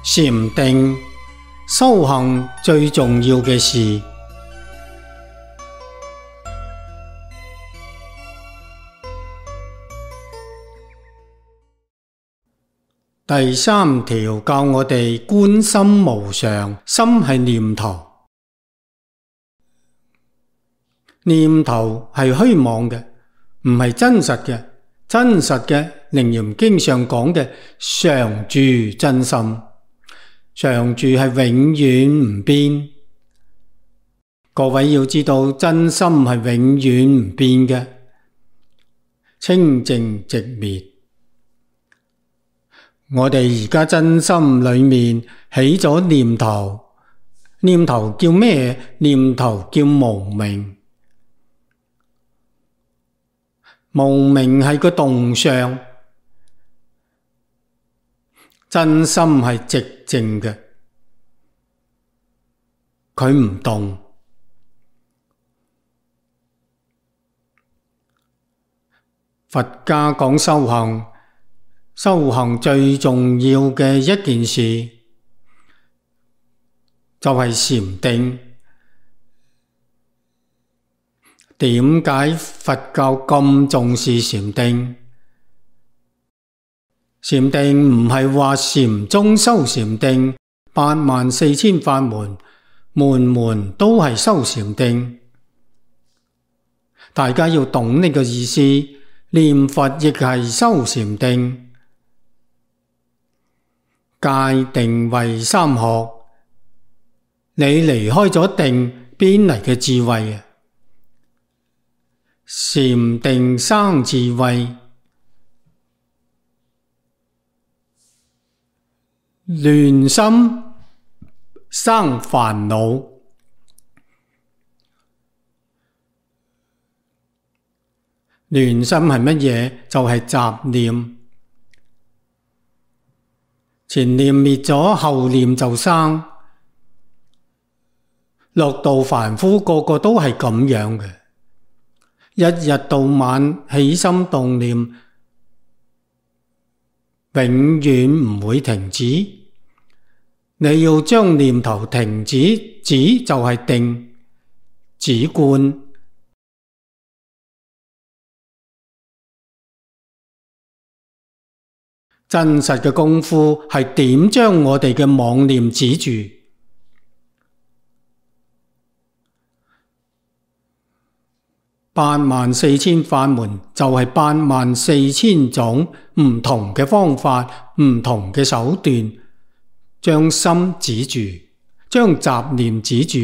禪定修行最重要嘅事。第三條教我哋觀心無常，心係念頭，念頭係虛妄嘅，唔係真實嘅。真實嘅，楞嚴經上講嘅常住真心，常住係永遠唔變。各位要知道，真心係永遠唔變嘅，清淨寂滅。我哋而家真心裏面起咗念頭，念頭叫咩？念頭叫無明。無明係個動相，真心係寂靜嘅，佢唔動。佛家講修行，修行最重要嘅一件事就係禪定。點解佛教咁重視禪定？禪定唔係話禪宗修禪定，84000法門，門門都係修禪定。大家要懂呢個意思，念佛亦係修禪定。戒定慧三學，你離開咗定，邊嚟嘅智慧啊？禪定生智慧，亂心生煩惱。亂心係乜嘢？就係雜念。前念滅咗，後念就生。六道凡夫個個都係咁樣嘅。一日到晚起心動念，永遠唔會停止。你要將念頭停止，止就係定，止觀。真實嘅功夫係點將我哋嘅妄念止住。84000法門就係84000種唔同嘅方法，唔同嘅手段，將心止住，將雜念止住。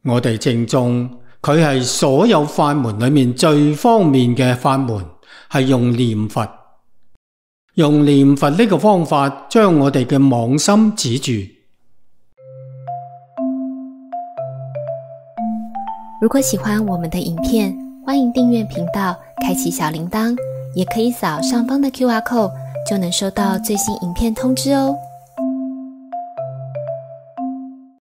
我哋正宗，佢係所有法門裏面最方便嘅法門，係用念佛，用念佛呢個方法將我哋嘅妄心止住。如果喜歡我們的影片，歡迎訂閱頻道，開啟小鈴鐺，也可以掃上方的QR code，就能收到最新影片通知哦。